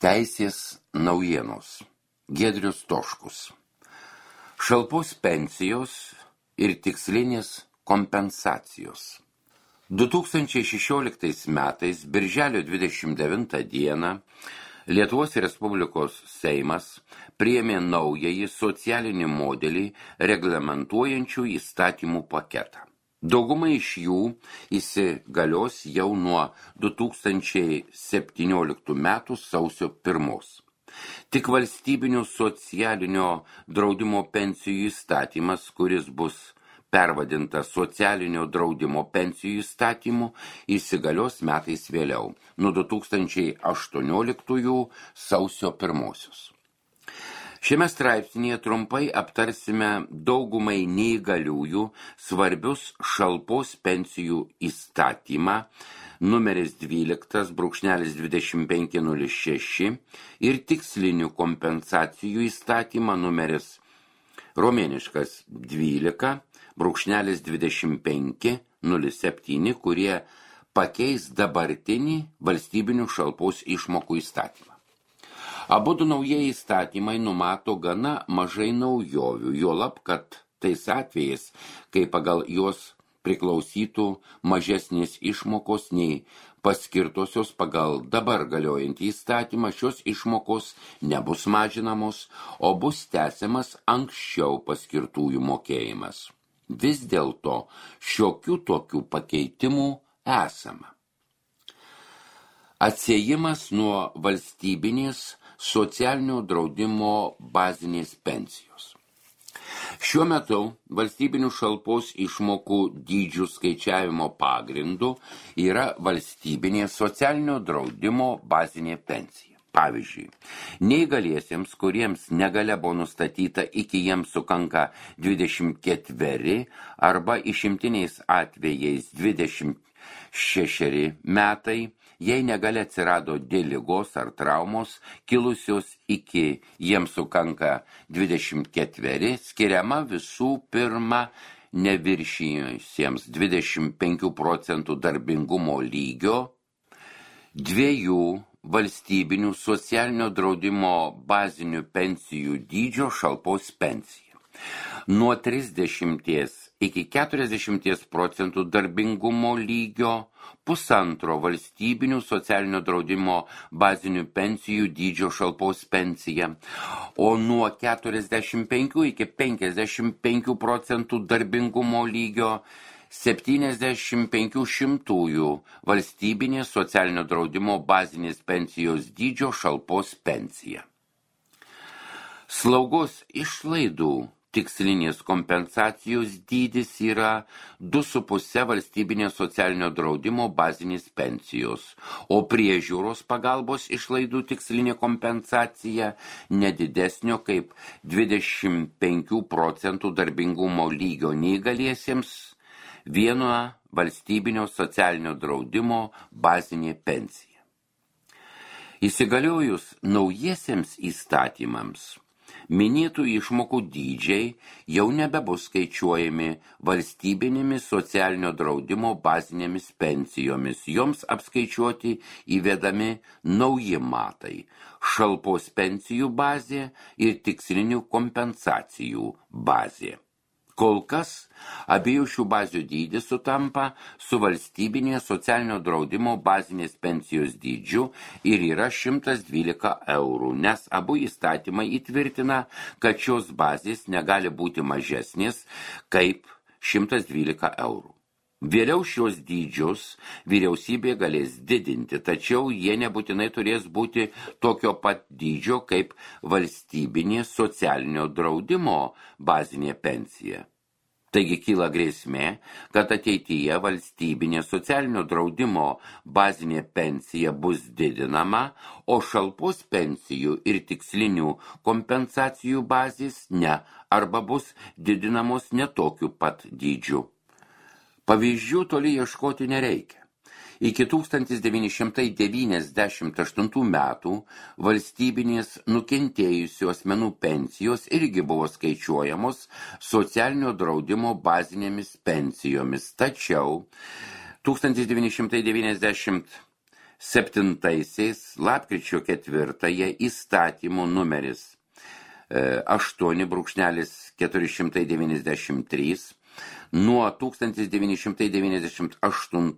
Teisės naujienos. Giedrius Toškus. Šalpos pensijos ir tikslinės kompensacijos. 2016 metais, birželio 29 dieną, Lietuvos Respublikos Seimas priėmė naująjį socialinį modelį reglamentuojančių įstatymų paketą. Dauguma iš jų įsigalios jau nuo 2017 metų sausio 1. Tik valstybinio socialinio draudimo pensijų įstatymas, kuris bus pervadintas socialinio draudimo pensijų įstatymu, įsigalios metais vėliau, nuo 2018 sausio 1. Šiame straipsnyje trumpai aptarsime daugumai neįgaliųjų svarbius šalpos pensijų įstatymą numeris 12/2506 ir tikslinių kompensacijų įstatymą numeris romėniškas 12/2507, kurie pakeis dabartinį valstybinių šalpos išmokų įstatymą. Abudu naujieji įstatymai numato gana mažai naujovių, juolab, kad tais atvejais, kai pagal juos priklausytų mažesnės išmokos nei paskirtosios pagal dabar galiojantį įstatymą, šios išmokos nebus mažinamos, o bus tęsiamas anksčiau paskirtųjų mokėjimas. Vis dėlto šiokių tokių pakeitimų esama. Atsiejimas nuo valstybinės socialinio draudimo bazinės pensijos. Šiuo metu valstybinių šalpos išmokų dydžių skaičiavimo pagrindu yra valstybinė socialinio draudimo bazinė pensija. Pavyzdžiui, neįgaliesiems, kuriems negalia buvo nustatyta iki jiems sukanka 24 arba išimtiniais atvejais 26 metai, jei negalia atsirado dėl ligos ar traumos, kilusios iki jiems sukanka 24, skiriama visų pirma neviršijusiems 25 procentų darbingumo lygio 2 valstybinių socialinio draudimo bazinių pensijų dydžio šalpos pensija. Nuo 30 iki 40 procentų darbingumo lygio 1,5 valstybinių socialinio draudimo bazinių pensijų dydžio šalpos pensija, o nuo 45 iki 55 procentų darbingumo lygio 75 valstybinės socialinio draudimo bazinės pensijos dydžio šalpos pensija. Slaugos išlaidų tikslinės kompensacijos dydis yra 2,5 valstybinės socialinio draudimo bazinės pensijos, o priežiūros pagalbos išlaidų tikslinė kompensacija nedidesnio kaip 25 procentų darbingumo lygio neįgaliesiems 1 valstybinio socialinio draudimo bazinė pensija. Įsigaliojus naujiesiems įstatymams, minėtų išmokų dydžiai jau nebebus skaičiuojami valstybinėmis socialinio draudimo bazinėmis pensijomis, joms apskaičiuoti įvedami nauji matai – šalpos pensijų bazė ir tikslinių kompensacijų bazė. Kol kas abiejų šių bazių dydis sutampa su valstybinės socialinio draudimo bazinės pensijos dydžiu ir yra 112 eurų, nes abu įstatymai įtvirtina, kad šios bazės negali būti mažesnės kaip 112 eurų. Vėliau šios dydžius vyriausybė galės didinti, tačiau jie nebūtinai turės būti tokio pat dydžio kaip valstybinė socialinio draudimo bazinė pensija. Taigi kyla grėsmė, kad ateityje valstybinė socialinio draudimo bazinė pensija bus didinama, o šalpos pensijų ir tikslinių kompensacijų bazės ne, arba bus didinamos netokiu pat dydžiu. Pavyzdžių toli ieškoti nereikia. Iki 1998 metų valstybinės nukentėjusių asmenų pensijos irgi buvo skaičiuojamos socialinio draudimo bazinėmis pensijomis, tačiau 1991 7 lapkričio 4 įstatymų numeris 8/493 nuo 1998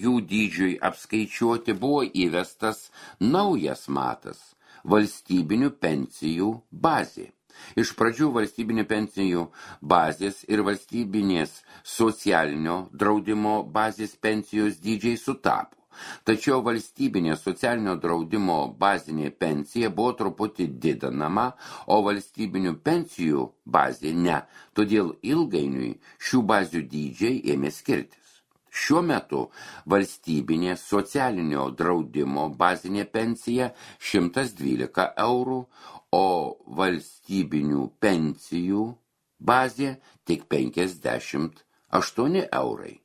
jų dydžiui apskaičiuoti buvo įvestas naujas matas – valstybinių pensijų bazė. Iš pradžių valstybinių pensijų bazės ir valstybinės socialinio draudimo bazės pensijos dydžiai sutapo. Tačiau valstybinė socialinio draudimo bazinė pensija buvo truputį didinama, o valstybinių pensijų bazė ne, todėl ilgainiui šių bazių dydžiai ėmė skirtis. Šiuo metu valstybinė socialinio draudimo bazinė pensija 112 eurų, o valstybinių pensijų bazė tik 58 eurai.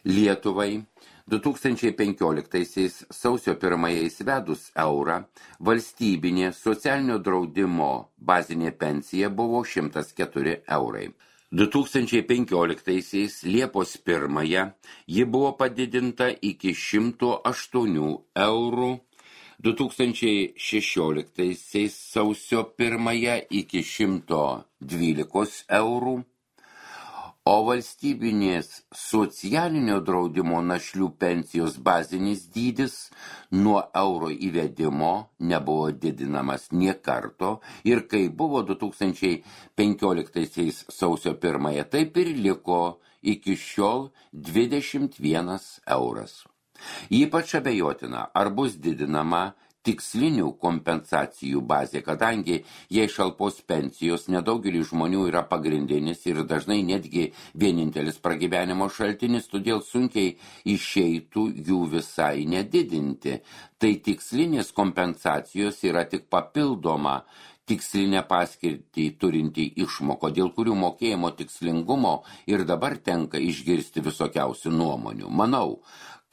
Lietuvai 2015 sausio 1 įsivedus eurą, valstybinė socialinio draudimo bazinė pensija buvo 104 eurai. 2015 Liepos 1 ji buvo padidinta iki 108 eurų, 2016 sausio 1 iki 112 eurų, o valstybinės socialinio draudimo našlių pensijos bazinis dydis nuo euro įvedimo nebuvo didinamas nė karto ir kai buvo 2015 sausio 1, taip ir liko iki šiol 21 euras. Ypač abejotina, ar bus didinama tikslinių kompensacijų bazė, kadangi jei šalpos pensijos nedaugelį žmonių yra pagrindinis ir dažnai netgi vienintelis pragyvenimo šaltinis, todėl sunkiai išeitų jų visai nedidinti. Tai tikslinės kompensacijos yra tik papildoma tikslinę paskirtį turinti išmoko, dėl kurių mokėjimo tikslingumo ir dabar tenka išgirsti visokiausių nuomonių. Manau,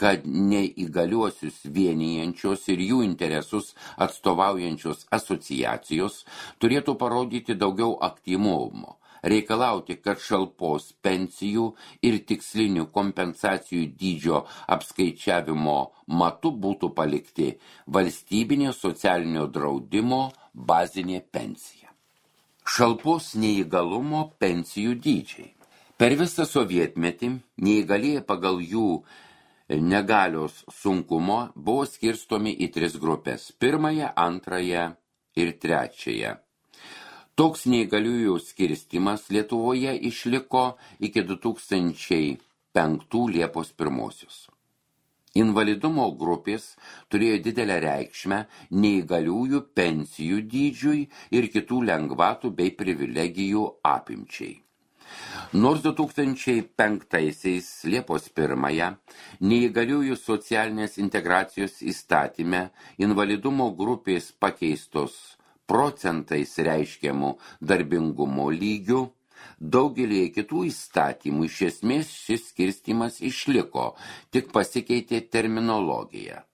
kad neįgaliuosius vienijančios ir jų interesus atstovaujančios asociacijos turėtų parodyti daugiau aktyvumo, reikalauti, kad šalpos pensijų ir tikslinių kompensacijų dydžio apskaičiavimo matu būtų palikti valstybinė socialinio draudimo bazinė pensija. Šalpos neįgalumo pensijų dydžiai. Per visą sovietmetį neįgalieji pagal jų negalios sunkumo buvo skirstomi į 3 grupės – 1, 2 ir 3. Toks neįgaliųjų skirstimas Lietuvoje išliko iki 2005 Liepos 1. Invalidumo grupės turėjo didelę reikšmę neįgaliųjų pensijų dydžiui ir kitų lengvatų bei privilegijų apimčiai. Nors 2005 Liepos 1 neįgaliųjų socialinės integracijos įstatyme invalidumo grupės pakeistos procentais reiškiamų darbingumo lygių, daugelį kitų įstatymų iš esmės šis skirstymas išliko, tik pasikeitė terminologija.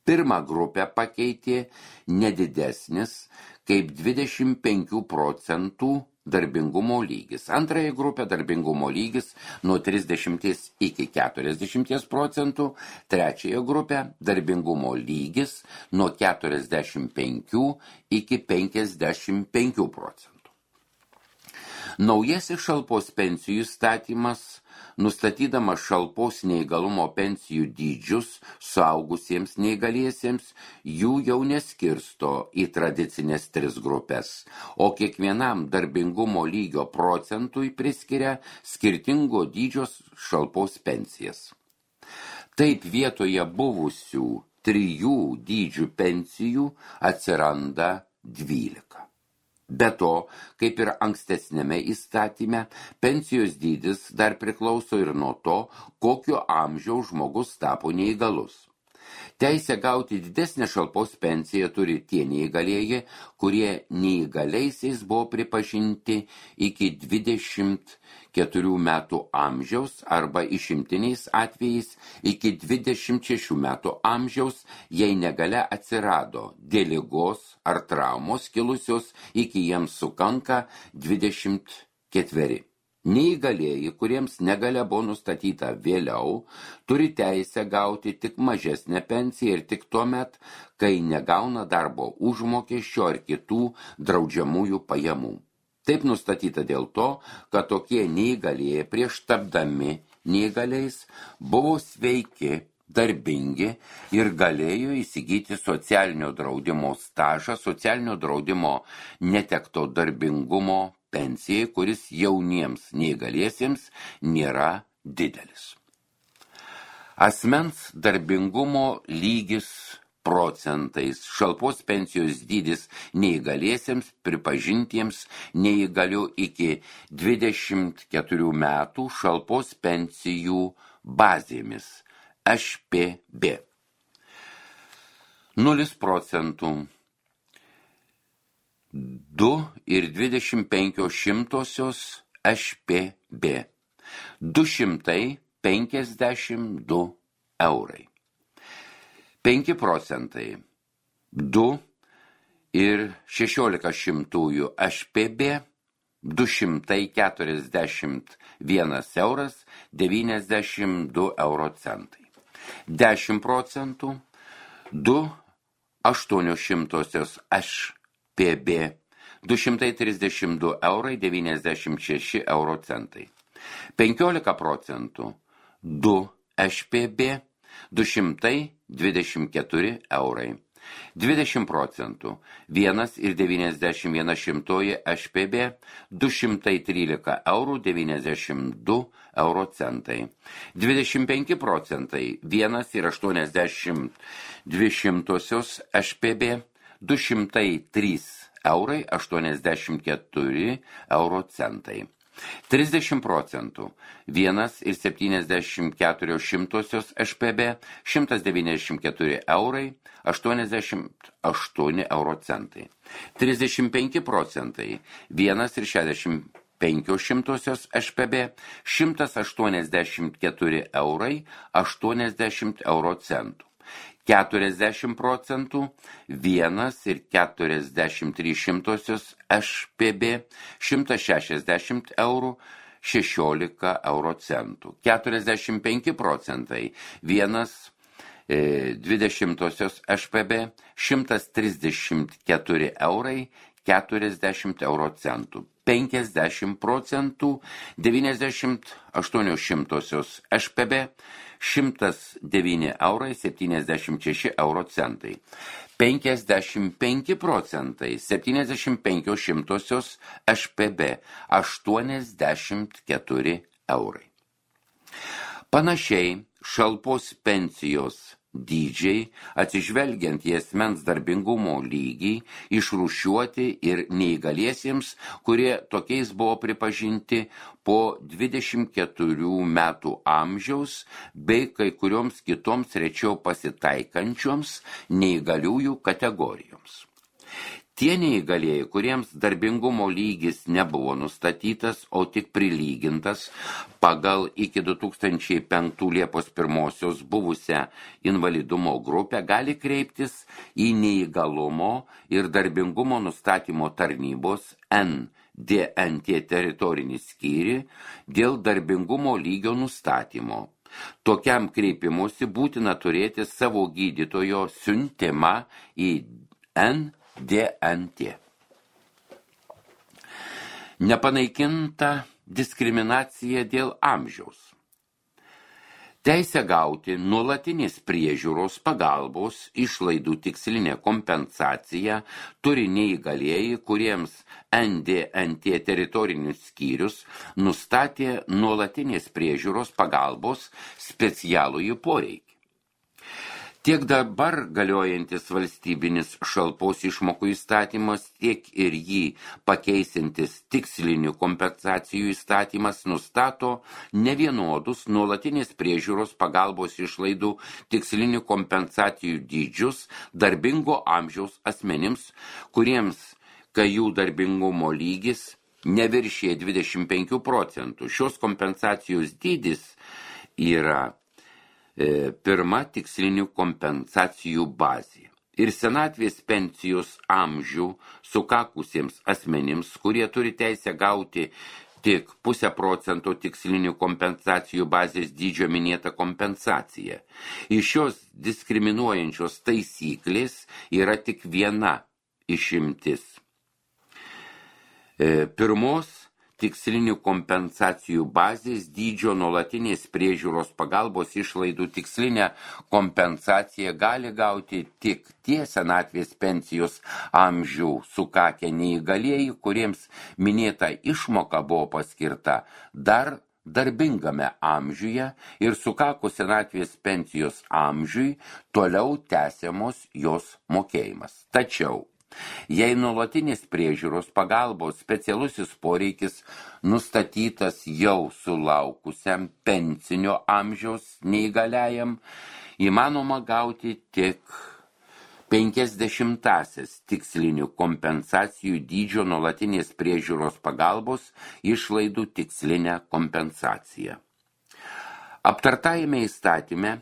Pirmą grupę pakeitė nedidesnis kaip 25 procentų darbingumo lygis. Antrąją grupę darbingumo lygis nuo 30 iki 40 procentų, trečiąją grupę darbingumo lygis nuo 45 iki 55 procentų. Naujasis šalpos pensijų įstatymas, nustatydamas šalpos neįgalumo pensijų dydžius suaugusiems neįgaliesiems, jų jau neskirsto į tradicinės 3 grupės, o kiekvienam darbingumo lygio procentui priskiria skirtingo dydžio šalpos pensijas. Taip vietoje buvusių 3 dydžių pensijų atsiranda 12. Be to, kaip ir ankstesnėme įstatyme, pensijos dydis dar priklauso ir nuo to, kokio amžiaus žmogus tapo neįgalus. Teisę gauti didesnę šalpos pensiją turi tie neįgalieji, kurie neįgaliaisiais buvo pripažinti iki 24 metų amžiaus arba išimtiniais atvejais iki 26 metų amžiaus, jei negalia atsirado dėl ligos ar traumos kilusios iki jiems sukanka 24. Neįgalieji, kuriems negalia buvo nustatyta vėliau, turi teisę gauti tik mažesnę pensiją ir tik tuomet, kai negauna darbo užmokesčio ar kitų draudžiamųjų pajamų. Taip nustatyta dėl to, kad tokie neįgalieji prieš tapdami neįgaliais buvo sveiki, darbingi ir galėjo įsigyti socialinio draudimo stažą, socialinio draudimo netekto darbingumo pensijai, kuris jauniems neįgaliesiems nėra didelis. Asmens darbingumo lygis procentais, šalpos pensijos dydis neįgaliesiems pripažintiems neįgalių iki 24 metų šalpos pensijų bazėmis HPB. 0 procentų 2,25 HPB, 252 eurai. 5 procentai 2,16 HPB, 241 euras 92 euro centai. 10 procentų 2,08 HPB, 232 eurai 96 euro centai. 15 procentų 2 HPB, 224 eurai. 20 procentų 1,91 HPB, 213 eurų 92 euro centai. 25 procentai 1,82 HPB, 203 eurai 84 euro centai. 30 procentų 1,74 HPB, 194 eurai 88 euro centai. 35 procentai 1,65 HPB, 184 eurai 80 euro centų. 40 procentų 1,43 HPB, 160 eurų 16 euro centų. 45 procentai 1,20 HPB, 134 eurai 40 euro centų. 50 procentų 98 HPB, 109 eurai 76 euro centai. 55 procentai 75 HPB, 84 eurai. Panašiai šalpos pensijos dydžiai, atsižvelgiant į asmens darbingumo lygį, išrūšiuoti ir neįgaliesiems, kurie tokiais buvo pripažinti po 24 metų amžiaus, bei kai kurioms kitoms rečiau pasitaikančioms neįgaliųjų kategorijoms. Tie neįgalieji, kuriems darbingumo lygis nebuvo nustatytas, o tik prilygintas pagal iki 2005 Liepos 1 buvusią invalidumo grupę, gali kreiptis į neįgalumo ir darbingumo nustatymo tarnybos NDNT teritorinį skyrių dėl darbingumo lygio nustatymo. Tokiam kreipimusi būtina turėti savo gydytojo siuntimą į NDNT. Nepanaikinta diskriminacija dėl amžiaus. Teisę gauti nuolatinės priežiūros pagalbos išlaidų tikslinę kompensaciją turi neįgalieji, kuriems NDNT teritorinis skyrius nustatė nuolatinės priežiūros pagalbos specialųjį poreikį. Tiek dabar galiojantis valstybinis šalpos išmokų įstatymas, tiek ir jį pakeisintis tikslinių kompensacijų įstatymas nustato nevienodus nuolatinės priežiūros pagalbos išlaidų tikslinių kompensacijų dydžius darbingo amžiaus asmenims, kuriems, kai jų darbingumo lygis neviršė 25 procentų. Šios kompensacijos dydis yra pirma tikslinių kompensacijų bazė. Ir senatvės pensijos amžių sukakusiems asmenims, kurie turi teisę gauti tik 0,5% tikslinių kompensacijų bazės dydžio minėta kompensacija. Iš šios diskriminuojančios taisyklės yra tik viena išimtis. Pirmos tikslinių kompensacijų bazės dydžio nuolatinės priežiūros pagalbos išlaidų tikslinę kompensaciją gali gauti tik tie senatvės pensijos amžių sukakę neįgalieji, kuriems minėta išmoka buvo paskirta dar darbingame amžiuje ir sukakus senatvės pensijos amžiui toliau tęsiamos jos mokėjimas. Tačiau jei nuolatinės priežiūros pagalbos specialusis poreikis nustatytas jau sulaukusiam pensinio amžiaus neįgaliajam, įmanoma gauti tik 50 tikslinių kompensacijų dydžio nuolatinės priežiūros pagalbos išlaidų tikslinę kompensaciją. Aptartajame įstatyme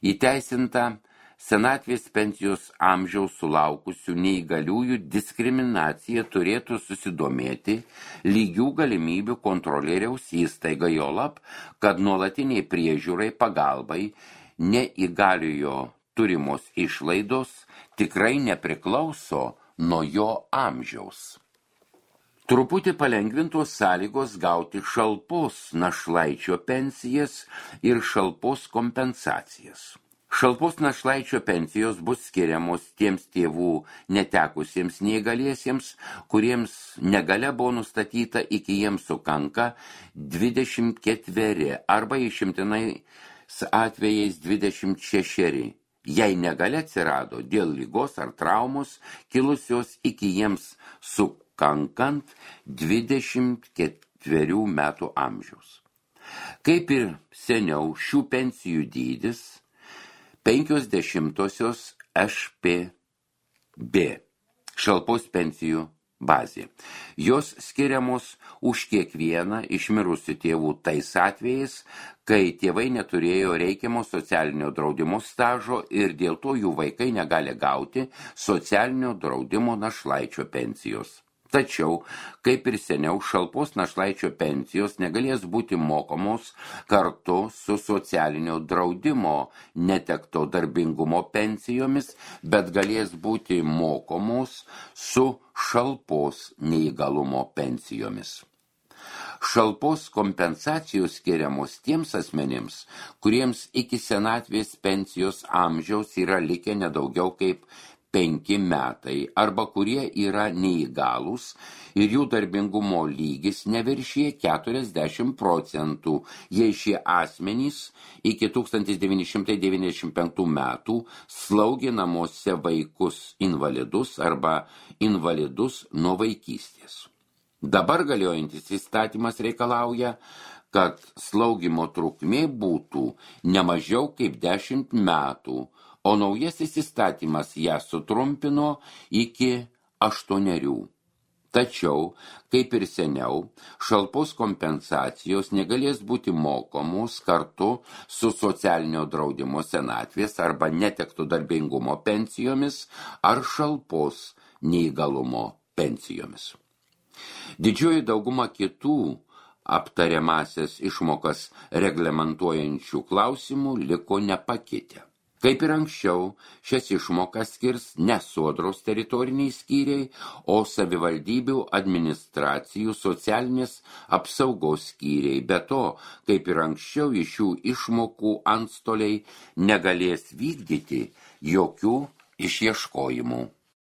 įteisinta senatvės pensijos amžiaus sulaukusių neįgaliųjų diskriminacija turėtų susidomėti lygių galimybių kontrolieriaus įstaiga, juolab, kad nuolatiniai priežiūrai pagalbai neįgaliojo turimos išlaidos tikrai nepriklauso nuo jo amžiaus. Truputį palengvintos sąlygos gauti šalpos našlaičio pensijas ir šalpos kompensacijas. Šalpos našlaičio pensijos bus skiriamos tiems tėvų netekusiems neįgaliesiems, kuriems negalia buvo nustatyta iki jiems sukanka 24 arba išimtinais atvejais 26, jei negalia atsirado dėl ligos ar traumos kilusios iki jiems sukankant 24 metų amžiaus. Kaip ir seniau, šių pensijų dydis 50 špb šalpos pensijų bazė. Jos skiriamos už kiekvieną iš mirusių tėvų tais atvejais, kai tėvai neturėjo reikiamo socialinio draudimo stažo ir dėl to jų vaikai negali gauti socialinio draudimo našlaičio pensijos. Tačiau, kaip ir seniau, šalpos našlaičio pensijos negalės būti mokomos kartu su socialinio draudimo netekto darbingumo pensijomis, bet galės būti mokomos su šalpos neįgalumo pensijomis. Šalpos kompensacijos skiriamos tiems asmenims, kuriems iki senatvės pensijos amžiaus yra likę nedaugiau kaip 5 metai arba kurie yra neįgalūs ir jų darbingumo lygis neviršyje 40%, jei šie asmenys iki 1995 metų slaugė namuose vaikus invalidus arba invalidus nuo vaikystės. Dabar galiojantis įstatymas reikalauja, kad slaugimo trukmė būtų ne mažiau kaip 10 metų, o naujasis įstatymas ją sutrumpino iki 8. Tačiau, kaip ir seniau, šalpos kompensacijos negalės būti mokomos kartu su socialinio draudimo senatvės arba netekto darbingumo pensijomis ar šalpos neįgalumo pensijomis. Didžioji dauguma kitų aptariamasias išmokas reglamentuojančių klausimų liko nepakitę. Kaip ir anksčiau, šias išmokas skirs ne sodros teritoriniai skyriai, o savivaldybių administracijų socialinės apsaugos skyriai. Be to, kaip ir anksčiau, iš šių išmokų antstoliai negalės vykdyti jokių išieškojimų.